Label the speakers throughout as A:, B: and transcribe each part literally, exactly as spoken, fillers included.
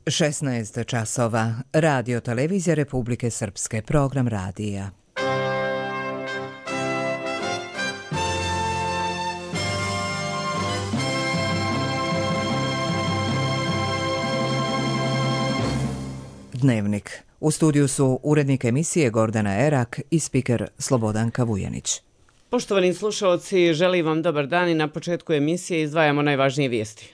A: šesnaest časova. Radio televizija Republike Srpske. Program radija. Dnevnik. U studiju su urednik emisije Gordana Erak i spiker Slobodanka Vujanić.
B: Poštovani slušalci, želim vam dobar dan i na početku emisije izdvajamo najvažnije vijesti.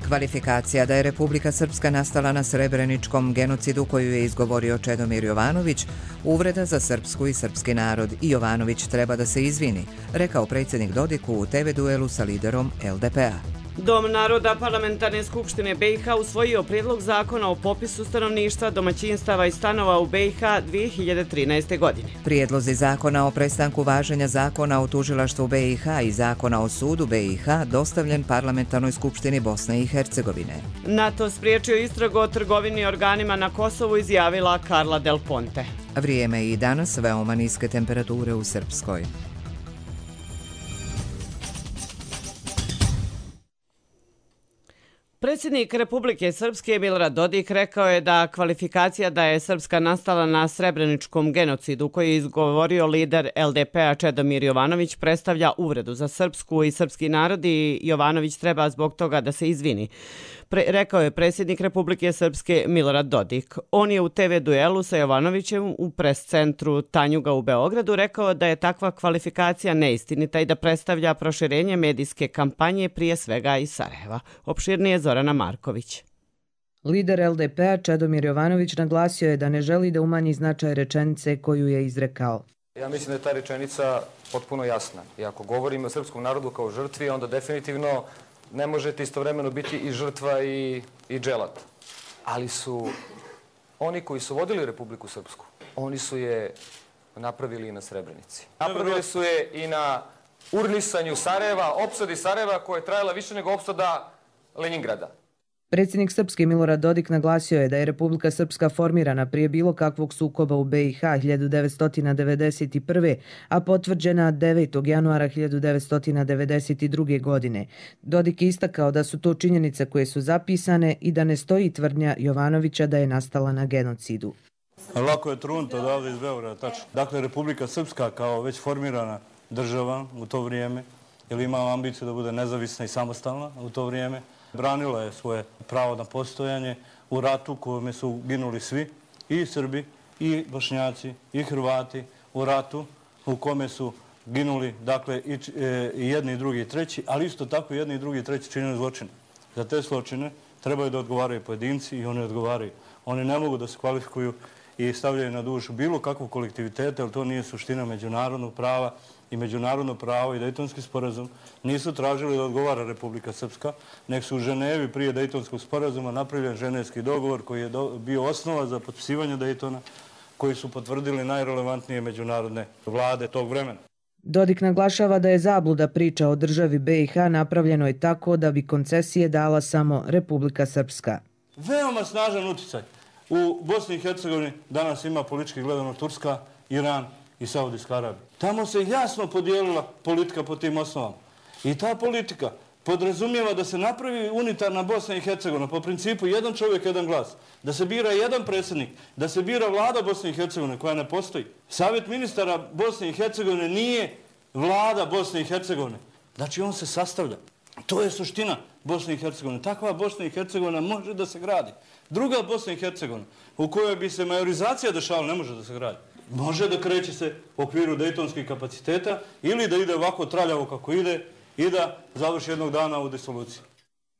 A: Kvalifikacija da je Republika Srpska nastala na srebreničkom genocidu koju je izgovorio Čedomir Jovanović, uvreda za srpsku i srpski narod i Jovanović treba da se izvini, rekao predsjednik Dodik u te ve duelu sa liderom el de pe a.
B: Dom naroda Parlamentarne skupštine be i ha usvojio prijedlog zakona o popisu stanovništva, domaćinstava i stanova u be i ha dvije hiljade trinaeste. godine.
A: Prijedlozi zakona o prestanku važenja zakona o tužilaštvu be i ha i zakona o sudu be i ha dostavljen Parlamentarnoj skupštini Bosne i Hercegovine.
B: NATO spriječio istragu o trgovini organima na Kosovu, izjavila Carla Del Ponte.
A: Vrijeme i danas veoma niske temperature u Srpskoj.
B: Predsjednik Republike Srpske Milorad Dodik rekao je da kvalifikacija da je Srpska nastala na srebreničkom genocidu koji je izgovorio lider el de pe a Čedomir Jovanović predstavlja uvredu za srpsku i srpski narod i Jovanović treba zbog toga da se izvini. Pre, rekao je predsjednik Republike Srpske Milorad Dodik. On je u te ve duelu sa Jovanovićem u pres centru Tanjuga u Beogradu rekao da je takva kvalifikacija neistinita i da predstavlja proširenje medijske kampanje prije svega iz Sarajeva. Opširnije Zorana Marković.
C: Lider el de pe a Čedomir Jovanović naglasio je da ne želi da umanji značaj rečenice koju je izrekao.
D: Ja mislim da je ta rečenica potpuno jasna. I ako govorimo o srpskom narodu kao žrtvi, onda definitivno ne možete istovremeno biti i žrtva i, i dželat. Ali su oni koji su vodili Republiku Srpsku, oni su je napravili i na Srebrenici. Napravili su je i na urnisanju Sarajeva, opsadi Sarajeva koja je trajala više nego opsada Leningrada.
C: Predsjednik Srpske Milorad Dodik naglasio je da je Republika Srpska formirana prije bilo kakvog sukoba u be i ha hiljadu devetsto devedeset prve. a potvrđena devetog januara hiljadu devetsto devedeset druge. godine. Dodik je istakao da su to činjenice koje su zapisane i da ne stoji tvrdnja Jovanovića da je nastala na genocidu.
E: Lako je trunut odavde iz Beograda, tačno. Dakle, Republika Srpska kao već formirana država u to vrijeme, jer ima ambiciju da bude nezavisna i samostalna u to vrijeme, branila je svoje pravo na postojanje u ratu kojome su ginuli svi, i Srbi, i Bošnjaci, i Hrvati, u ratu u kome su ginuli, dakle, i, e, i jedni, i drugi, i treći, ali isto tako jedni, i drugi, i treći činili zločine. Za te zločine trebaju da odgovaraju pojedinci i oni odgovaraju. Oni ne mogu da se kvalifikuju i stavljaju na dušu bilo kakvog kolektiviteta, jer to nije suština međunarodnog prava, i međunarodno pravo i Dejtonski sporazum nisu tražili da odgovara Republika Srpska, nek su u Ženevi prije Dejtonskog sporazuma napravljen ženevski dogovor koji je do, bio osnova za potpisivanje Dejtona, koji su potvrdili najrelevantnije međunarodne vlade tog vremena.
C: Dodik naglašava da je zabluda priča o državi be i ha napravljeno je tako da bi koncesije dala samo Republika Srpska.
E: Veoma snažan uticaj. U Bosni i Hercegovini danas ima politički gledano Turska, Iran i Saudijska Arabija. Tamo se jasno podijelila politika po tim osnovama. I ta politika podrazumijeva da se napravi unitarna Bosna i Hercegovina po principu jedan čovjek, jedan glas. Da se bira jedan predsjednik, da se bira vlada Bosne i Hercegovine koja ne postoji. Savjet ministara Bosne i Hercegovine nije vlada Bosne i Hercegovine. Znači on se sastavlja. To je suština Bosne i Hercegovine. Takva Bosna i Hercegovina može da se gradi. Druga Bosna i Hercegovina u kojoj bi se majorizacija dešavala ne može da se gradi. Može da kreće se u okviru dejtonskih kapaciteta ili da ide ovako traljavo kako ide i da završi jednog dana u disoluciji.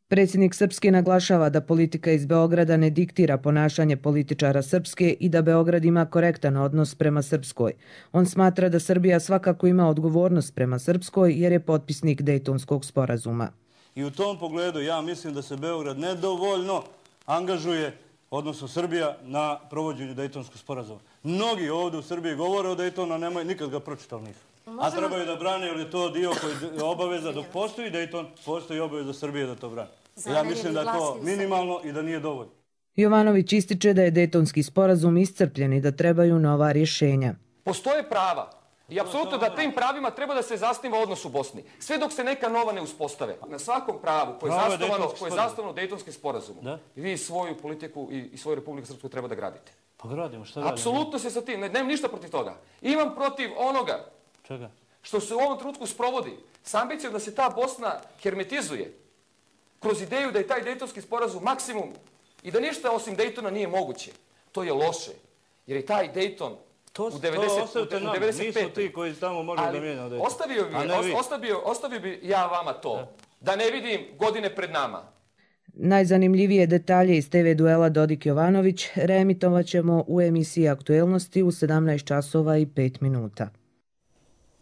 C: Predsjednik Srpske naglašava da politika iz Beograda ne diktira ponašanje političara Srpske i da Beograd ima korektan odnos prema Srpskoj. On smatra da Srbija svakako ima odgovornost prema Srpskoj jer je potpisnik Dejtonskog sporazuma.
E: I u tom pogledu ja mislim da se Beograd nedovoljno angažuje, odnosno Srbija, na provođenju Dejtonskog sporazuma. Mnogi ovdje u Srbiji govore o Dejtonu, a nemoj, nikad ga pročitali nisu. A trebaju da brane, jer je to dio koji je obaveza. Dok postoji Dejton, postoji obaveza Srbije da to brane. Ja mislim da je to minimalno i da nije dovoljno.
C: Jovanović ističe da je Dejtonski sporazum iscrpljen i da trebaju nova rješenja.
D: Postoje prava I apsolutno da tim pravima treba da se zasniva odnos u Bosni. Sve dok se neka nova ne uspostave. Na svakom pravu koje je zasnovano, koje je zasnovano Dejtonskim sporazumom. Da? I vi svoju politiku i, i svoju Republiku Srpsku treba da gradite.
E: Pa gradimo, šta radimo?
D: Apsolutno se sa tim, ne, nemam ništa protiv toga. Imam protiv onoga
E: Čega?
D: što se u ovom trenutku sprovodi s ambicijom da se ta Bosna hermetizuje kroz ideju da je taj Dejtonski sporazum maksimum i da ništa osim Dejtona nije moguće. To je loše, jer je taj Dejton
E: To,
D: u devedeset,
E: to ostavite
D: u
E: nam,
D: devedeset pete.
E: nisu ti koji tamo možda da mijenjaju Dejton.
D: Ostavio bi, os, ostavio, ostavio bi ja vama to, da. da ne vidim godine pred nama.
C: Najzanimljivije detalje iz te ve duela Dodik-Jovanović reemitovat ćemo u emisiji Aktuelnosti u sedamnaest časova i pet minuta.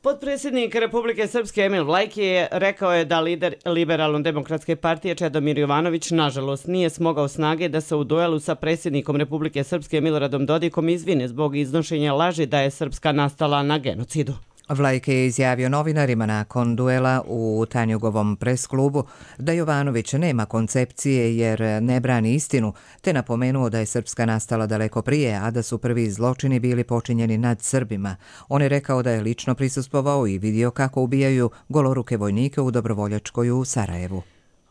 B: Potpredsjednik Republike Srpske Emil Vlajki je rekao je da lider Liberalno-demokratske partije Čedomir Jovanović nažalost nije smogao snage da se u duelu sa predsjednikom Republike Srpske Miloradom Dodikom izvine zbog iznošenja laži da je Srpska nastala na genocidu.
A: Vlajke je izjavio novinarima nakon duela u Tanjugovom pres klubu da Jovanović nema koncepcije jer ne brani istinu, te napomenuo da je Srpska nastala daleko prije, a da su prvi zločini bili počinjeni nad Srbima. On je rekao da je lično prisustvovao i vidio kako ubijaju goloruke vojnike u Dobrovoljačkoj u Sarajevu.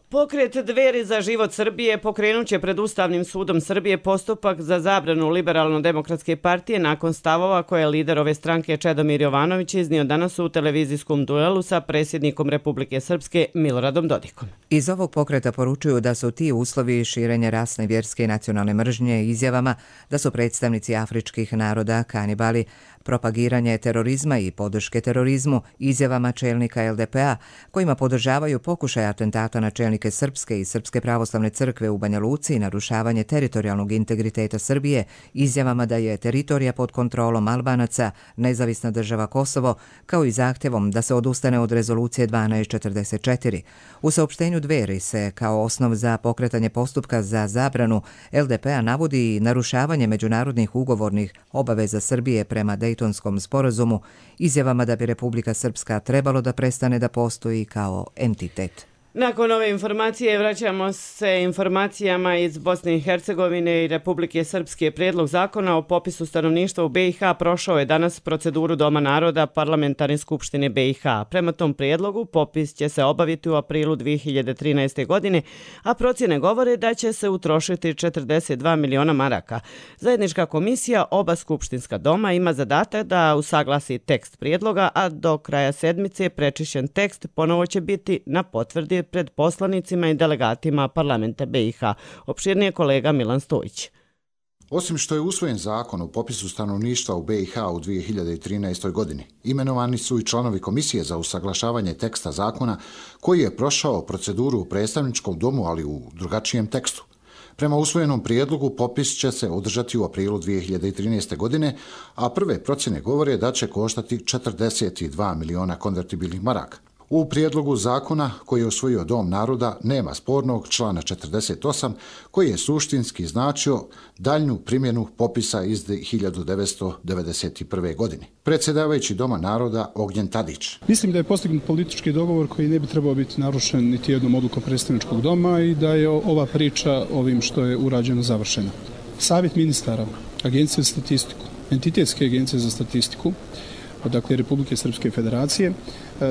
B: Pokret Dveri za život Srbije pokrenut će pred Ustavnim sudom Srbije postupak za zabranu Liberalno-demokratske partije nakon stavova koje je lider ove stranke Čedomir Jovanović iznio danas u televizijskom duelu sa predsjednikom Republike Srpske Miloradom Dodikom.
A: Iz ovog pokreta poručuju da su ti uslovi širenja rasne, vjerske i nacionalne mržnje izjavama da su predstavnici afričkih naroda kanibali, propagiranje terorizma i podrške terorizmu izjavama čelnika el de pe a kojima podržavaju pokušaj atentata na čelnike Srpske i Srpske pravoslavne crkve u Banja Luci i narušavanje teritorijalnog integriteta Srbije, izjavama da je teritorija pod kontrolom Albanaca nezavisna država Kosovo, kao i zahtjevom da se odustane od rezolucije dvanaest četrdeset četiri. U saopštenju Dveri se kao osnov za pokretanje postupka za zabranu el de pe a navodi i narušavanje međunarodnih ugovornih obaveza Srbije prema Dejtonskom sporazumu, izjavama da bi Republika Srpska trebalo da prestane da postoji kao entitet.
B: Nakon ove informacije vraćamo se informacijama iz Bosne i Hercegovine i Republike Srpske. Prijedlog zakona o popisu stanovništva u be i ha prošao je danas proceduru Doma naroda Parlamentarne skupštine be i ha. Prema tom prijedlogu popis će se obaviti u aprilu dvije hiljade trinaeste. godine, a procjene govore da će se utrošiti četrdeset dva miliona maraka. Zajednička komisija oba skupštinska doma ima zadatak da usaglasi tekst prijedloga, a do kraja sedmice prečišćen tekst ponovo će biti na potvrdi pred poslanicima i delegatima parlamenta be i ha. Opširnije kolega Milan Stojić.
F: Osim što je usvojen zakon o popisu stanovništva u be i ha u dvije hiljade trinaestoj. godini, imenovani su i članovi komisije za usaglašavanje teksta zakona koji je prošao proceduru u predstavničkom domu, ali u drugačijem tekstu. Prema usvojenom prijedlogu popis će se održati u aprilu dvije hiljade trinaeste. godine, a prve procjene govore da će koštati četrdeset dva miliona konvertibilnih maraka. U prijedlogu zakona koji je usvojio Dom naroda nema spornog člana četrdeset osam koji je suštinski značio daljnju primjenu popisa iz hiljadu devetsto devedeset prve. godine. Predsjedavajući Doma naroda Ognjen Tadić.
G: Mislim da je postignut politički dogovor koji ne bi trebao biti narušen niti jednom odlukom predstavničkog doma i da je ova priča ovim što je urađeno završena. Savjet ministara, Agencije za statistiku, entitetske agencije za statistiku, dakle Republike Srpske federacije,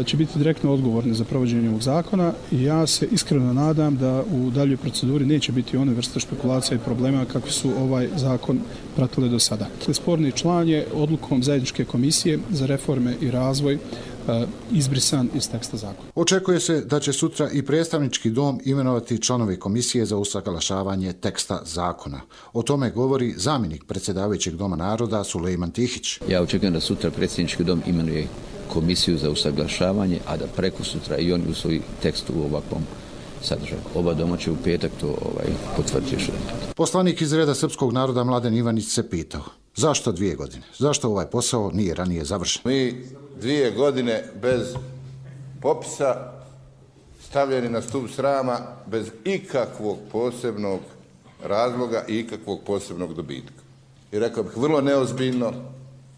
G: će biti direktno odgovorni za provođenje ovog zakona i ja se iskreno nadam da u daljoj proceduri neće biti one vrste špekulacija i problema kakvi su ovaj zakon pratile do sada. Sporni član je odlukom zajedničke komisije za reforme i razvoj izbrisan iz teksta zakona.
F: Očekuje se da će sutra i predstavnički dom imenovati članove komisije za usaglašavanje teksta zakona. O tome govori zamjenik predsjedavajućeg Doma naroda Sulejman Tihić.
H: Ja očekujem da sutra predsjednički dom imenuje komisiju za usaglašavanje, a da preko sutra i oni usvoji tekst u ovakvom sadržaju. Oba doma će u petak to ovaj, potvrditi.
F: Poslanik iz reda srpskog naroda Mladen Ivanić se pitao zašto dvije godine? Zašto ovaj posao nije ranije završen?
I: Mi dvije godine bez popisa stavljeni na stup srama bez ikakvog posebnog razloga i ikakvog posebnog dobitka. I rekao bih vrlo neozbiljno,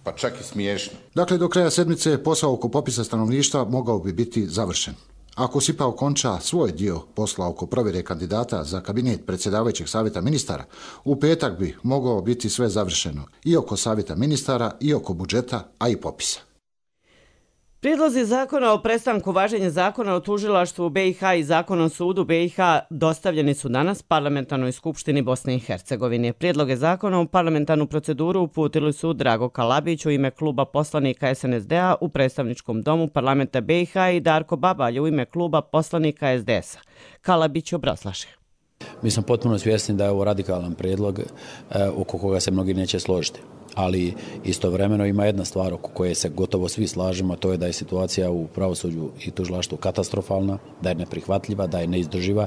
I: pa čak i smiješno.
F: Dakle, do kraja sedmice posao oko popisa stanovništva mogao bi biti završen. Ako SIPA okonča svoj dio posla oko provjere kandidata za kabinet predsjedavajućeg savjeta ministara, u petak bi mogao biti sve završeno i oko savjeta ministara i oko budžeta, a i popisa.
B: Prijedlozi zakona o prestanku važenja zakona o tužilaštvu u B i H i zakona o sudu B i H dostavljeni su danas Parlamentarnoj skupštini Bosne i Hercegovine. Prijedloge zakona u parlamentarnu proceduru uputili su Drago Kalabić u ime kluba poslanika S N S D-a u predstavničkom domu parlamenta B i H i Darko Babalj u ime kluba poslanika S D S-a. Kalabić obrazlaže.
J: Mi smo potpuno svjesni da je ovo radikalan prijedlog oko koga se mnogi neće složiti. Ali istovremeno ima jedna stvar oko koje se gotovo svi slažemo, a to je da je situacija u pravosuđu i tužilaštvu katastrofalna, da je neprihvatljiva, da je neizdrživa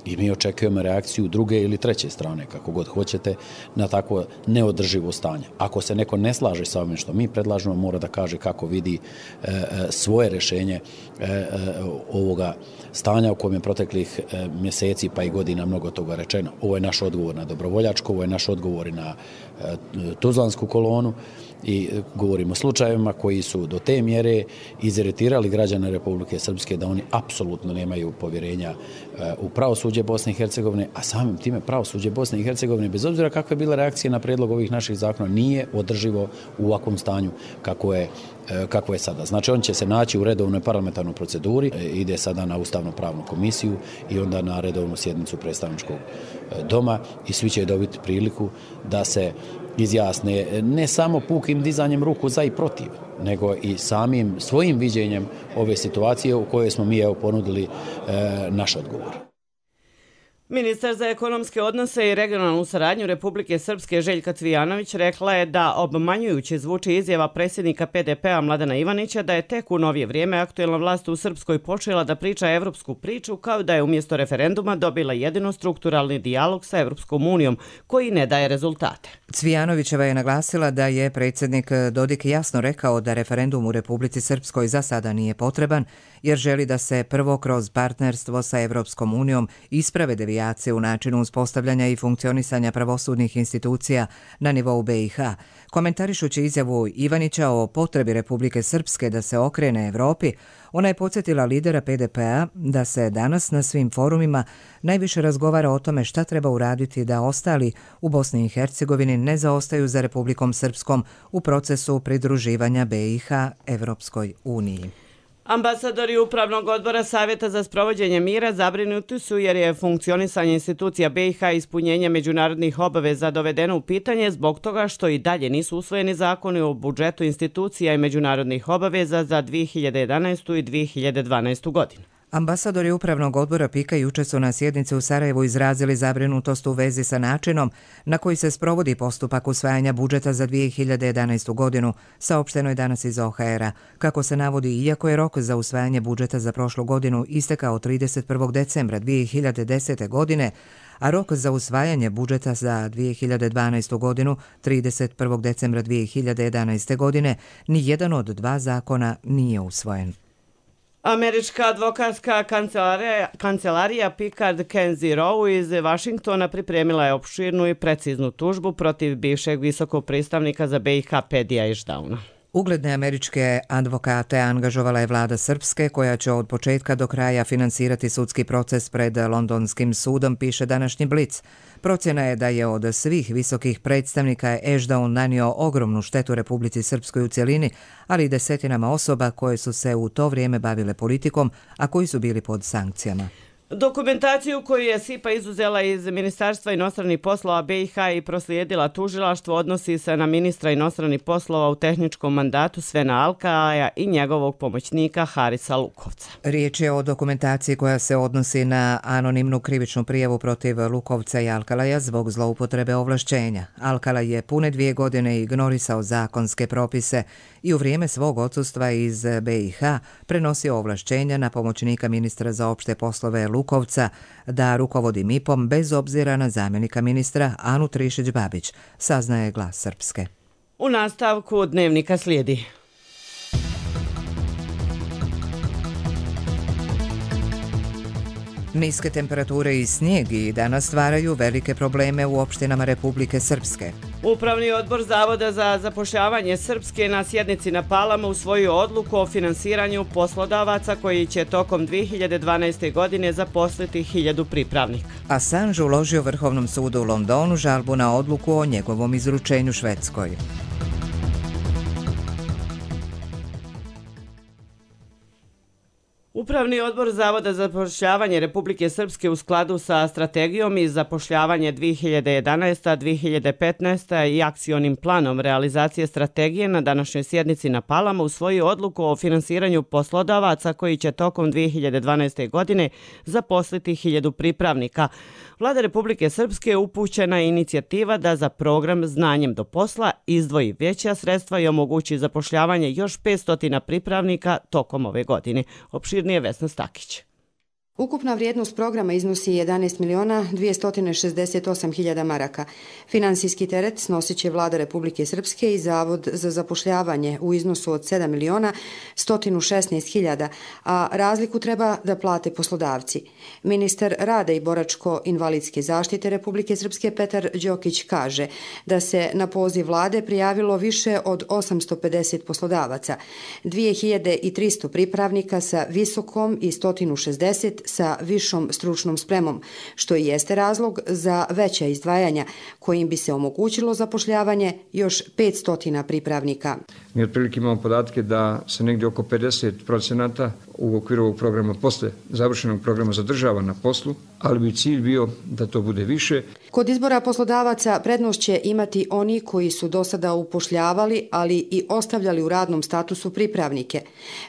J: i mi očekujemo reakciju druge ili treće strane, kako god hoćete, na takvo neodrživo stanje. Ako se neko ne slaže sa ovim što mi predlažemo, mora da kaže kako vidi e, svoje rješenje e, ovoga stanja u kojem je proteklih e, mjeseci pa i godina mnogo toga rečeno. Ovo je naš odgovor na dobrovoljačko, ovo je naš odgovor i na e, tuzlansku kolonu i govorimo o slučajevima koji su do te mjere iziritirali građane Republike Srpske da oni apsolutno nemaju povjerenja e, u pravosuđe Bosne i Hercegovine, a samim time pravosuđe Bosne i Hercegovine, bez obzira kakve je bila reakcija na prijedlog ovih naših zakona, nije održivo u ovakvom stanju kako je, e, kako je sada. Znači, on će se naći u redovnoj parlamentarnoj proceduri, e, ide sada na Ustavno-pravnu komisiju i onda na redovnu sjednicu predstavničkog e, doma i svi će dobiti priliku da se izjasne ne samo pukim dizanjem ruku za i protiv, nego i samim svojim viđenjem ove situacije u kojoj smo mi evo ponudili e, naš odgovor.
B: Ministar za ekonomske odnose i regionalnu saradnju Republike Srpske Željka Cvijanović rekla je da obmanjujuće zvuči izjava predsjednika P D P-a Mladena Ivanića da je tek u novije vrijeme aktuelna vlast u Srpskoj počela da priča evropsku priču, kao da je umjesto referenduma dobila jedino strukturalni dijalog sa Evropskom unijom koji ne daje rezultate.
A: Cvijanovićeva je naglasila da je predsjednik Dodik jasno rekao da referendum u Republici Srpskoj za sada nije potreban, jer želi da se prvo kroz partnerstvo sa Evropskom unijom isprave devijacije u načinu uspostavljanja i funkcionisanja pravosudnih institucija na nivou B i H. Komentarišući izjavu Ivanića o potrebi Republike Srpske da se okrene Evropi, ona je podsjetila lidera P D P-a da se danas na svim forumima najviše razgovara o tome šta treba uraditi da ostali u Bosni i Hercegovini ne zaostaju za Republikom Srpskom u procesu pridruživanja B i H Evropskoj uniji.
B: Ambasadori Upravnog odbora Savjeta za sprovođenje mira zabrinuti su jer je funkcionisanje institucija B i H i ispunjenje međunarodnih obaveza dovedeno u pitanje zbog toga što i dalje nisu usvojeni zakoni o budžetu institucija i međunarodnih obaveza za dvije hiljade jedanaestu. i dvije hiljade dvanaestu. godinu.
A: Ambasadori Upravnog odbora P I K A juče su na sjednici u Sarajevu izrazili zabrinutost u vezi sa načinom na koji se sprovodi postupak usvajanja budžeta za dvije hiljade jedanaestu. godinu, saopšteno je danas iz O H R-a. Kako se navodi, iako je rok za usvajanje budžeta za prošlu godinu istekao trideset prvog decembra dvije hiljade desete. godine, a rok za usvajanje budžeta za dvije hiljade dvanaestu. godinu trideset prvog decembra dvije hiljade jedanaeste. godine, ni jedan od dva zakona nije usvojen.
B: Američka advokatska kancelarija, kancelarija Picard Kenzie Rowe iz Vašingtona pripremila je opširnu i preciznu tužbu protiv bivšeg visokog predstavnika za B i H Pedija Iždauna.
A: Ugledne američke advokate angažovala je vlada Srpske, koja će od početka do kraja finansirati sudski proces pred Londonskim sudom, piše današnji Blic. Procjena je da je od svih visokih predstavnika Ešdaun nanio ogromnu štetu Republici Srpskoj u cjelini, ali i desetinama osoba koje su se u to vrijeme bavile politikom, a koji su bili pod sankcijama.
B: Dokumentaciju koju je S I P A izuzela iz Ministarstva inostranih poslova B i H i proslijedila tužilaštvo odnosi se na ministra inostranih poslova u tehničkom mandatu Svena Alkalaja i njegovog pomoćnika Harisa Lukovca.
A: Riječ je o dokumentaciji koja se odnosi na anonimnu krivičnu prijavu protiv Lukovca i Alkalaja zbog zloupotrebe ovlašćenja. Alkalaj je pune dvije godine ignorisao zakonske propise i u vrijeme svog odsustva iz B i H prenosio ovlašćenja na pomoćnika ministra za opšte poslove Lukovca da rukovodi M I P-om bez obzira na zamjenika ministra Anu Trišić-Babić, saznaje Glas Srpske.
B: U nastavku dnevnika slijedi.
A: Niske temperature i snijeg i danas stvaraju velike probleme u opštinama Republike Srpske.
B: Upravni odbor Zavoda za zapošljavanje Srpske na sjednici na Palama usvojio odluku o finansiranju poslodavaca koji će tokom dvije hiljade dvanaeste. godine zaposliti hiljadu pripravnika.
A: Assange uložio Vrhovnom sudu u Londonu žalbu na odluku o njegovom izručenju Švedskoj.
B: Upravni odbor Zavoda za zapošljavanje Republike Srpske u skladu sa strategijom i zapošljavanje dvije hiljade jedanaesta do dvije hiljade petnaeste. i akcionim planom realizacije strategije na današnjoj sjednici na Palama usvojio odluku o finansiranju poslodavaca koji će tokom dvije hiljade dvanaeste. godine zaposliti hiljadu pripravnika. Vlada Republike Srpske upućena je inicijativa da za program Znanjem do posla izdvoji veća sredstva i omogući zapošljavanje još petsto pripravnika tokom ove godine. Opširnije Vesna Stakić.
K: Ukupna vrijednost programa iznosi jedanaest miliona dvjesto šezdeset osam hiljada maraka. Finansijski teret snosit će Vlada Republike Srpske i Zavod za zapošljavanje u iznosu od sedam miliona sto šesnaest hiljada, a razliku treba da plate poslodavci. Ministar rada i boračko-invalidske zaštite Republike Srpske Petar Đokić kaže da se na poziv Vlade prijavilo više od osamsto pedeset poslodavaca, dvije hiljade tristo pripravnika sa visokom i sto šezdeset sa višom stručnom spremom, što i jeste razlog za veća izdvajanja, kojim bi se omogućilo zapošljavanje još petsto pripravnika.
L: Mi otprilike imamo podatke da se negdje oko pedeset procenata u okviru ovog programa posle završenog programa zadržava na poslu, ali bi cilj bio da to bude više.
K: Kod izbora poslodavaca prednost će imati oni koji su do sada upošljavali, ali i ostavljali u radnom statusu pripravnike.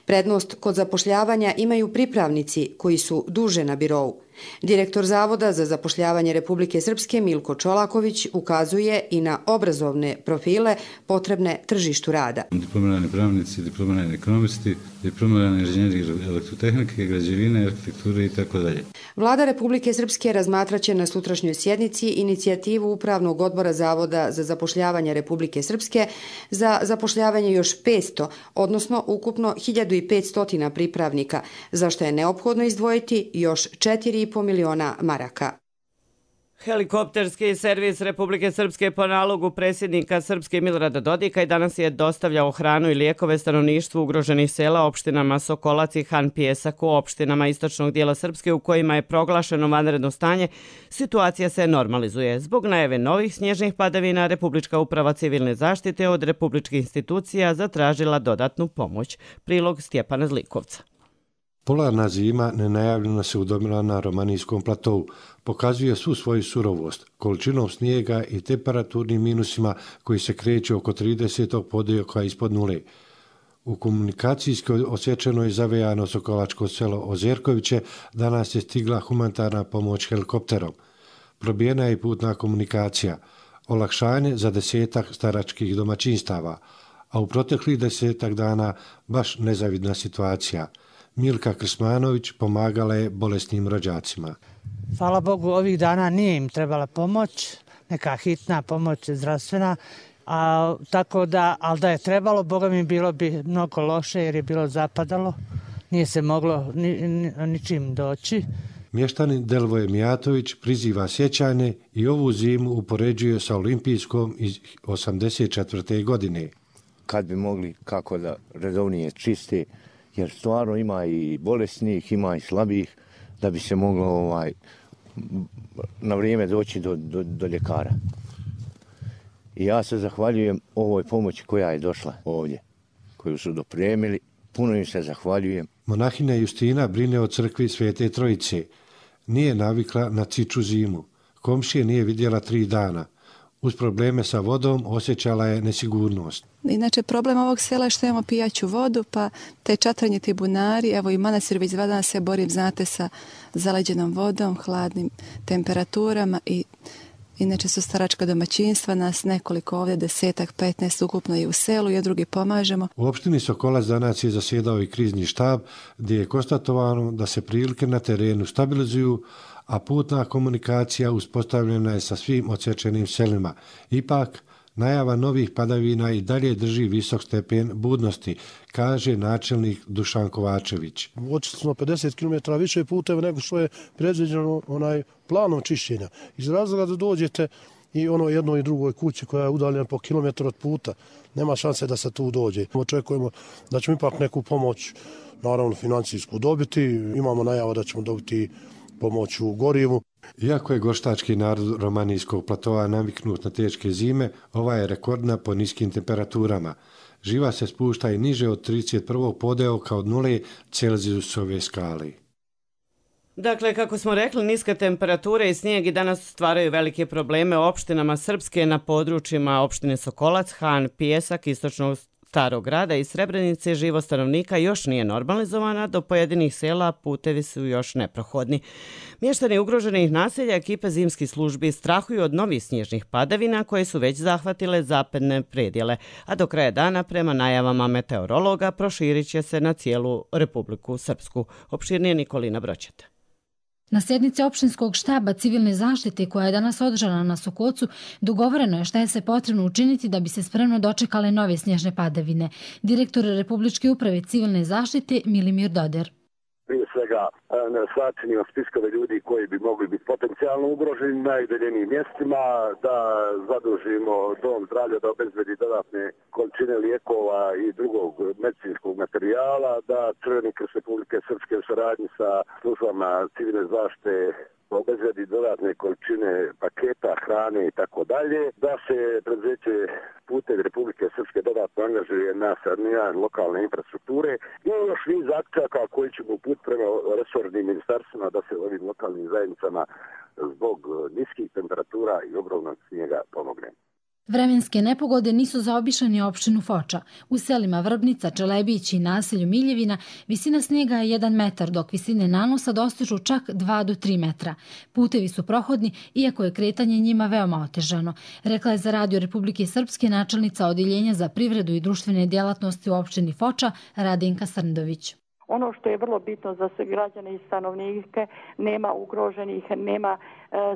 K: Prednost kod zapošljavanja imaju pripravnici koji su duže na birou. Direktor Zavoda za zapošljavanje Republike Srpske Milko Čolaković ukazuje i na obrazovne profile potrebne tržištu rada.
M: Diplomirani pravnici, diplomirani ekonomisti, diplomirani inženjeri elektrotehnike, građevine, arhitekture i tako dalje.
K: Vlada Republike Srpske razmatraće na sutrašnjoj sjednici inicijativu Upravnog odbora Zavoda za zapošljavanje Republike Srpske za zapošljavanje još petsto, odnosno ukupno hiljadu petsto pripravnika, za što je neophodno izdvojiti još četiri i po miliona maraka.
B: Helikopterski servis Republike Srpske po nalogu predsjednika Srpske Milorada Dodika i danas je dostavljao hranu i lijekove stanovništvu ugroženih sela opštinama Sokolac i Han Pijesak u opštinama istočnog dijela Srpske u kojima je proglašeno vanredno stanje. Situacija se normalizuje. Zbog najave novih snježnih padavina Republička uprava civilne zaštite od republičkih institucija zatražila dodatnu pomoć. Prilog Stjepana Zlikovca.
N: Polarna zima nenajavljeno se udomila na Romanijskom platovu. Pokazuje svu svoju surovost, količinom snijega i temperaturnim minusima koji se kreću oko tridesetog podioka ispod nule. U komunikacijski osjećenoj zavejano sokolačko selo Ozerkoviće danas je stigla humanitarna pomoć helikopterom. Probijena je i putna komunikacija, olakšanje za desetak staračkih domaćinstava, a u proteklih desetak dana baš nezavidna situacija. Milka Krsmanović pomagala je bolesnim rođacima.
O: Hvala Bogu, ovih dana nije im trebala pomoć, neka hitna pomoć zdravstvena, a, tako da, ali da je trebalo, Boga mi bilo bi mnogo loše jer je bilo zapadalo, nije se moglo ni, ni, ničim doći.
N: Mještanin Delvoje Mijatović priziva sjećanje i ovu zimu upoređuje sa olimpijskom iz osamdeset četvrte. godine.
P: Kad bi mogli kako da redovnije čiste, jer stvarno ima i bolesnih, ima i slabih, da bi se moglo ovaj, na vrijeme doći do, do, do ljekara. I ja se zahvaljujem ovoj pomoći koja je došla ovdje, koju su dopremili. Puno im se zahvaljujem.
N: Monahina Justina brine o crkvi Svete Trojice. Nije navikla na ciču zimu. Komšije nije vidjela tri dana. Uz probleme sa vodom osjećala je nesigurnost.
Q: Inače, problem ovog sela je što imamo pijaću vodu, pa te čatranje ti bunari, evo i manastir već dva dana se borim, znate, sa zaleđenom vodom, hladnim temperaturama i inače su staračka domaćinstva, nas nekoliko ovdje, desetak, petnaest ukupno je u selu i drugi pomažemo.
N: U opštini Sokolac danas je zasjedao i krizni štab gdje je konstatovano da se prilike na terenu stabilizuju, a putna komunikacija uspostavljena je sa svim odsječenim selima. Ipak, najava novih padavina i dalje drži visok stepen budnosti, kaže načelnik Dušan Kovačević.
R: Očistili smo pedeset kilometara više puteva nego što je predviđeno onaj planom čišćenja. Iz razloga da dođete i ono jednoj i drugoj kući koja je udaljena po kilometru od puta, nema šanse da se tu dođe. Očekujemo da ćemo ipak neku pomoć, naravno financijsku, dobiti. Imamo najava da ćemo dobiti pomoć u gorivu.
N: Iako je goštački narod Romanijskog platova naviknut na teške zime, ova je rekordna po niskim temperaturama. Živa se spušta i niže od trideset prvog podeoka od nule Celzijusove skale.
B: Dakle, kako smo rekli, niske temperature i snijeg i danas stvaraju velike probleme opštinama Srpske na područjima opštine Sokolac, Han, Pijesak, istočnog Starog grada i Srebrenice. Život stanovnika još nije normalizovana, do pojedinih sela putevi su još neprohodni. Mještani ugroženih naselja ekipe zimskih službi strahuju od novih snježnih padavina koje su već zahvatile zapadne predjele, a do kraja dana, prema najavama meteorologa, proširit će se na cijelu Republiku Srpsku. Opširnije Nikolina Broćeta.
S: Na sjednici opštinskog štaba civilne zaštite koja je danas održana na Sokocu dogovoreno je šta je se potrebno učiniti da bi se spremno dočekale nove snježne padavine. Direktor Republičke uprave civilne zaštite Milimir Doder.
T: Prije svega sačinimo spiskove ljudi koji bi mogli biti potencijalno ugroženi na najudaljenijim mjestima, da zadužimo dom zdravlja da obezbedi dodatne količine lijekova i drugog medicinskog materijala, da Crveni krst Republike Srpske u saradnji sa službama civilne zaštite obezbedi dodatne količine paketa, hrane i tako dalje, da se preduzeće Putevi Republike Srpske dodatno angažuje na saniranje lokalne infrastrukture i još niz akcija koji ćemo uputiti prema resornim ministarstvima da se ovim lokalnim zajednicama zbog niskih temperatura i ogromnog snijega pomogne.
S: Vremenske nepogode nisu zaobišle ni opštinu Foča. U selima Vrbnica, Čelebić i naselju Miljevina visina snijega je jedan metar, dok visine nanosa dostižu čak dva do tri metra. Putevi su prohodni, iako je kretanje njima veoma otežano, rekla je za Radio Republike Srpske načelnica Odjeljenja za privredu i društvene djelatnosti u opštini Foča Radenka Srndović.
U: Ono što je vrlo bitno za sve građane i stanovnike, nema ugroženih, nema e,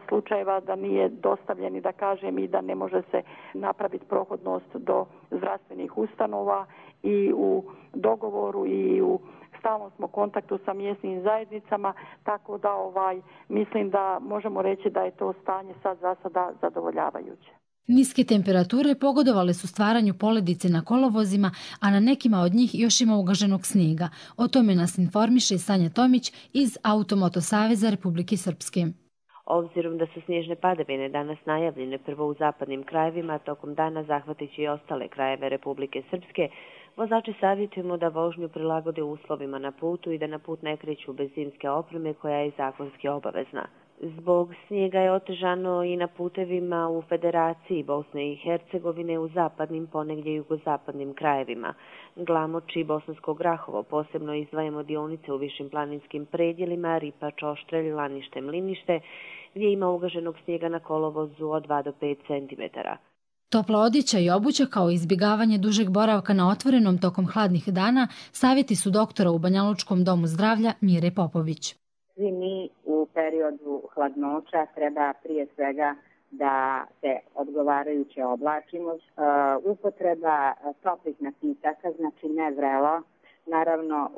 U: slučajeva da nije dostavljeni, da kažem, i da ne može se napraviti prohodnost do zdravstvenih ustanova i u dogovoru i u stalnom smo kontaktu sa mjesnim zajednicama, tako da ovaj mislim da možemo reći da je to stanje sad za sada zadovoljavajuće.
S: Niske temperature pogodovale su stvaranju poledice na kolovozima, a na nekima od njih još ima ugaženog snijega. O tome nas informiše Sanja Tomić iz Automoto Saveza Republike Srpske.
V: Obzirom da su snježne padavine danas najavljene prvo u zapadnim krajevima, tokom dana zahvatići i ostale krajeve Republike Srpske, vozači savjetujemo da vožnju prilagode uslovima na putu i da na put ne kreću bez zimske opreme koja je zakonski obavezna. Zbog snijega je otežano i na putevima u Federaciji Bosne i Hercegovine u zapadnim, ponegdje jugozapadnim krajevima. Glamoč i Bosansko Grahovo, posebno izdvajamo dionice u višim planinskim predjelima, Ripač, Oštrelj, Lanište, Mlinište, gdje ima ugaženog snijega na kolovozu od dva do pet centimetara.
S: Topla odjeća i obuća kao izbjegavanje dužeg boravka na otvorenom tokom hladnih dana savjeti su doktora u Banjalučkom domu zdravlja Mire Popović.
W: Svi mi u periodu hladnoća treba prije svega da se odgovarajuće oblačimo. Uh, upotreba toplih napitaka, znači ne vrelo. Naravno,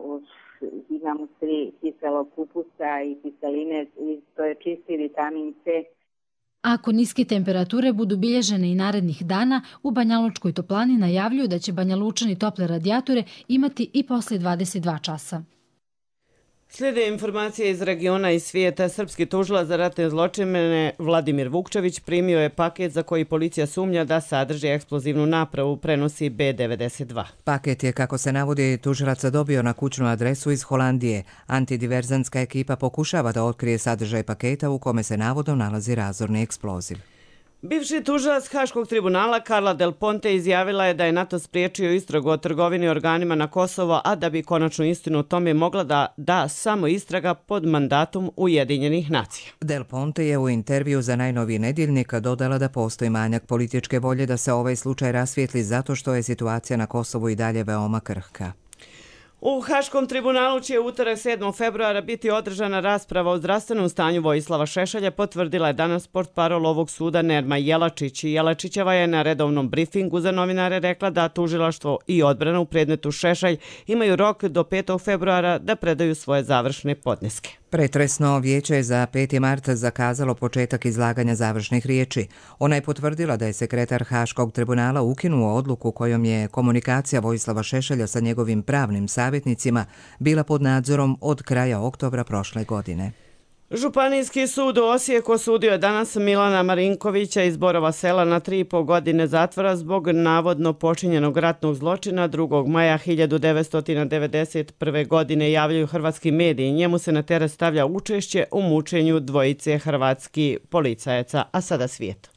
W: imamo svi kiselog kupusa i kiseline, to je čisti vitamin C.
S: Ako niske temperature budu bilježene i narednih dana, u Banjalučkoj toplani najavljuju da će Banjalučani tople radijatore imati i poslije dvadeset dva časa.
B: Slijede informacije iz regiona i svijeta. Srpski tužilac za ratne zločine Vladimir Vukčević primio je paket za koji policija sumnja da sadrži eksplozivnu napravu, prenosi B devedeset dva.
A: Paket je, kako se navodi, tužilac dobio na kućnu adresu iz Holandije. Antidiverzantska ekipa pokušava da otkrije sadržaj paketa u kome se navodno nalazi razorni eksploziv.
B: Bivši tužilac Haškog tribunala Carla Del Ponte izjavila je da je NATO spriječio istragu o trgovini organima na Kosovo, a da bi konačnu istinu o tome mogla da da samo istraga pod mandatom Ujedinjenih nacija.
A: Del Ponte je u intervju za najnoviji nedjeljnik dodala da postoji manjak političke volje da se ovaj slučaj rasvijetli zato što je situacija na Kosovu i dalje veoma krhka.
B: U Haškom tribunalu će utorak sedmog februara biti održana rasprava o zdravstvenom stanju Vojislava Šešelja, potvrdila je danas portparol ovog suda Nerma Jelačić. Jelačićeva je na redovnom brifingu za novinare rekla da tužilaštvo i odbrana u predmetu Šešelj imaju rok do petog februara da predaju svoje završne podneske.
A: Pretresno vijeće je za peti mart zakazalo početak izlaganja završnih riječi. Ona je potvrdila da je sekretar Haškog tribunala ukinuo odluku kojom je komunikacija Vojislava Šešelja sa njegovim pravnim savjetnicima bila pod nadzorom od kraja oktobra prošle godine.
B: Županijski sud u Osijeku osudio je danas Milana Marinkovića iz Borova Sela na tri i po godine zatvora zbog navodno počinjenog ratnog zločina drugog maja hiljadu devetsto devedeset prve. godine, javljaju hrvatski mediji. Njemu se na teret stavlja učešće u mučenju dvojice hrvatskih policajaca. A sada svijet.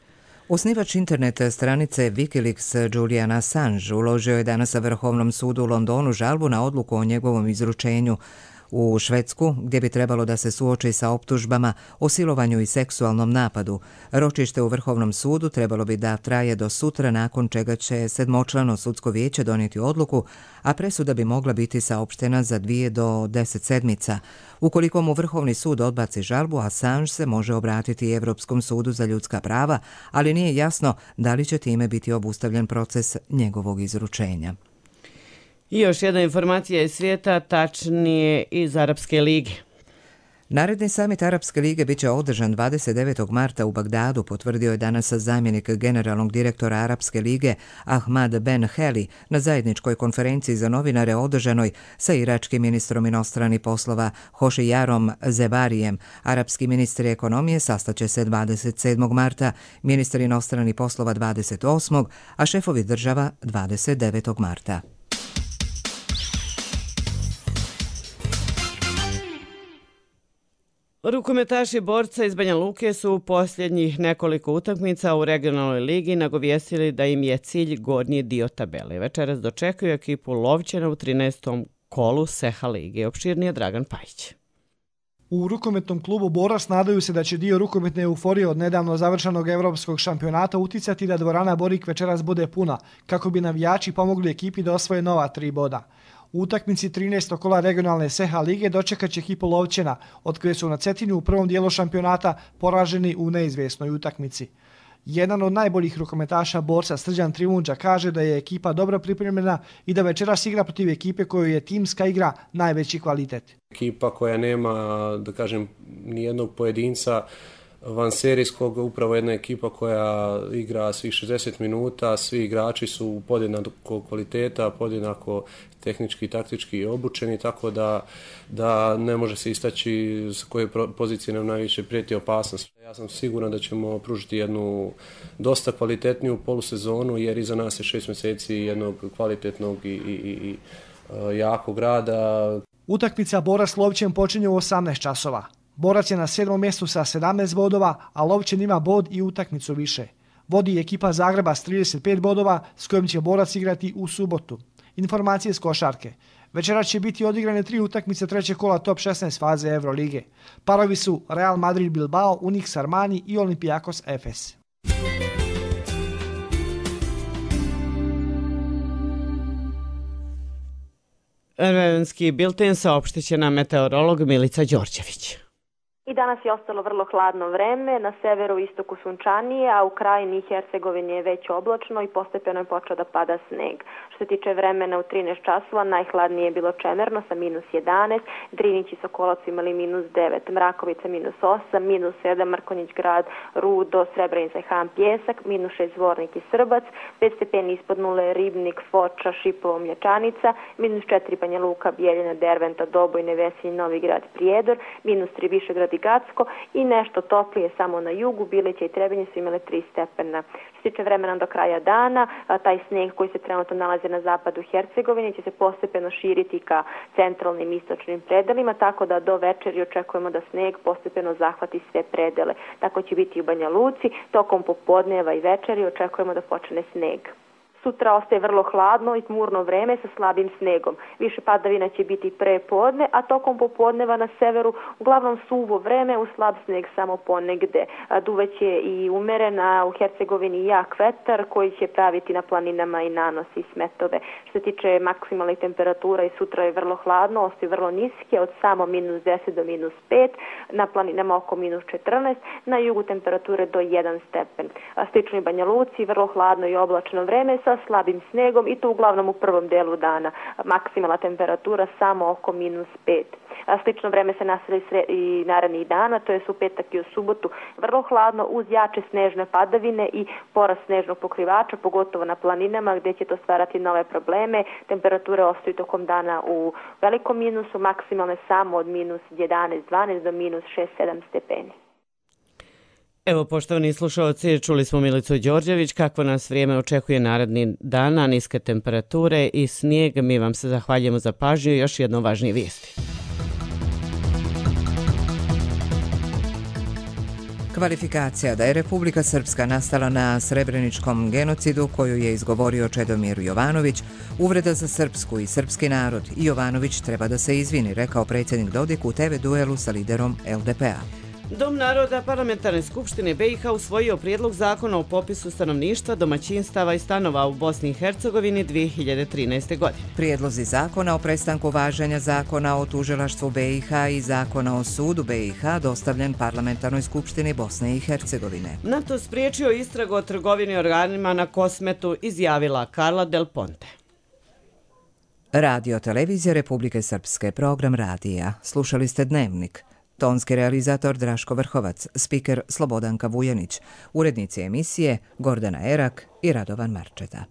A: Osnivač internet stranice Wikileaks Julian Assange uložio je danas na Vrhovnom sudu u Londonu žalbu na odluku o njegovom izručenju u Švedsku, gdje bi trebalo da se suoči sa optužbama o silovanju i seksualnom napadu. Ročište u Vrhovnom sudu trebalo bi da traje do sutra, nakon čega će sedmočlano sudsko vijeće donijeti odluku, a presuda bi mogla biti saopštena za dvije do deset sedmica. Ukoliko mu Vrhovni sud odbaci žalbu, Assange se može obratiti Evropskom sudu za ljudska prava, ali nije jasno da li će time biti obustavljen proces njegovog izručenja.
B: I još jedna informacija iz svijeta, tačnije iz Arapske lige.
A: Naredni samit Arapske lige bit će održan dvadeset devetog marta u Bagdadu, potvrdio je danas zamjenik generalnog direktora Arapske lige Ahmad Ben Heli na zajedničkoj konferenciji za novinare održanoj sa iračkim ministrom inostranih poslova Hošijarom Zebarijem. Arapski ministri ekonomije sastaće se dvadeset sedmog marta, ministri inostranih poslova dvadeset osmog, a šefovi država dvadeset devetog marta.
B: Rukometaši borca iz Banja Luke su u posljednjih nekoliko utakmica u regionalnoj ligi nagovijestili da im je cilj gornji dio tabele. Večeras dočekuju ekipu Lovćena u trinaestom kolu Seha lige. Opširnije Dragan Pajić.
C: U rukometnom klubu Borac nadaju se da će dio rukometne euforije od nedavno završenog evropskog šampionata uticati da dvorana Borik večeras bude puna, kako bi navijači pomogli ekipi da osvoje nova tri boda. U utakmici trinaestog kola regionalne Seha lige dočekat će ekipu Lovćena, od koje su na Cetinju u prvom dijelu šampionata poraženi u neizvjesnoj utakmici. Jedan od najboljih rukometaša Borca, Srđan Trivundža, kaže da je ekipa dobro pripremljena i da večeras igra protiv ekipe kojoj je timska igra najveći kvalitet.
D: Ekipa koja nema, da kažem, nijednog pojedinca vanserijskog, upravo jedna ekipa koja igra svih šezdeset minuta, svi igrači su podjednako kvaliteta, podjednako tehnički i taktički obučeni, tako da, da ne može se istaći s koje pozicije nam najviše prijeti opasnost. Ja sam siguran da ćemo pružiti jednu dosta kvalitetniju polusezonu, jer iza nas je šest mjeseci jednog kvalitetnog i, i, i jakog rada.
C: Utakmica Borac Lovćen počinje u osamnaest časova. Borac je na sedmom mjestu sa sedamnaest bodova, a Lovćen ima bod i utakmicu više. Vodi ekipa Zagreba s trideset pet bodova, s kojim će Borac igrati u subotu. Informacije s košarke. Večeras će biti odigrane tri utakmice trećeg kola top šesnaest faze Eurolige. Parovi su Real Madrid Bilbao, Unix Armani i Olympiakos Efes.
B: Vremenski bilten saopštit će nam meteorolog Milica Đorđević.
E: I danas je ostalo vrlo hladno vreme, na severu i istoku sunčanije, a u krajini Hercegovine je već oblačno i postepeno je počeo da pada sneg. Što se tiče vremena u trinaest časova, najhladnije je bilo Čemerno sa minus jedanaest, Drinić i Sokolac imali minus devet, Mrakovica minus osam, minus sedam, Mrkonjić grad, Rudo, Srebrenica i Han Pjesak, minus šest Zvornik i Srbac, pet stepeni ispod nule Ribnik, Foča, Šipovo, Mlječanica, minus četiri Banja Luka, Bijeljina, Derventa, Dobojne, Veselj, Novi grad, Prijedor, minus tri Višegrad i Gacko i nešto toplije samo na jugu, Bilića i Trebinje su imale tri stepena. Što se tiče vremena do kraja dana, taj sneg koji se trenutno nalazi na zapadu Hercegovine će se postepeno širiti ka centralnim istočnim predelima, tako da do večeri očekujemo da sneg postepeno zahvati sve predele. Tako će biti i u Banja Luci, tokom popodneva i večeri očekujemo da počne sneg. Sutra ostaje vrlo hladno i tmurno vreme sa slabim snegom. Više padavina će biti pre podne, a tokom popodneva na severu uglavnom suvo vreme, u slab sneg samo ponegde. Duvaće i umerena u Hercegovini jak vetar koji će praviti na planinama i nanosi smetove. Što se tiče maksimalnih temperatura, i sutra je vrlo hladno, ostaju vrlo niske, od samo minus deset do minus pet, na planinama oko minus četrnaest, na jugu temperature do jedan stepen. Slično i Banja Luci, vrlo hladno i oblačno vreme sa slabim snegom i to uglavnom u prvom delu dana. Maksimalna temperatura samo oko minus pet. Slično vreme se nastavlja i narednih dana, to je u petak i u subotu vrlo hladno uz jače snežne padavine i porast snežnog pokrivača, pogotovo na planinama gdje će to stvarati nove probleme. Temperature ostaju tokom dana u velikom minusu, maksimalne samo od minus jedanaest dvanaest do minus šest sedam stepeni.
B: Evo, poštovani slušalci, čuli smo Milicu Đorđević kako nas vrijeme očekuje naredni dana, niske temperature i snijeg. Mi vam se zahvaljujemo za pažnju i još jedno važnije vijesti.
A: Kvalifikacija da je Republika Srpska nastala na srebreničkom genocidu koju je izgovorio Čedomir Jovanović, uvreda za srpsku i srpski narod i Jovanović treba da se izvini, rekao predsjednik Dodik u te ve duelu sa liderom el de pe a.
B: Dom naroda Parlamentarne skupštine be i ha usvojio prijedlog zakona o popisu stanovništva, domaćinstava i stanova u Bosni i Hercegovini dvije hiljade trinaeste. godine.
A: Prijedlozi zakona o prestanku važenja zakona o tužilaštvu be i ha i zakona o sudu be i ha dostavljen Parlamentarnoj skupštini Bosne i Hercegovine.
B: NATO spriječio istragu o trgovini organima na Kosmetu, izjavila Karla Del Ponte.
A: Radio televizija Republike Srpske, program radija. Slušali ste Dnevnik. Tonski realizator Draško Vrhovac, spiker Slobodanka Vujanić, urednici emisije Gordana Erak i Radovan Marčeta.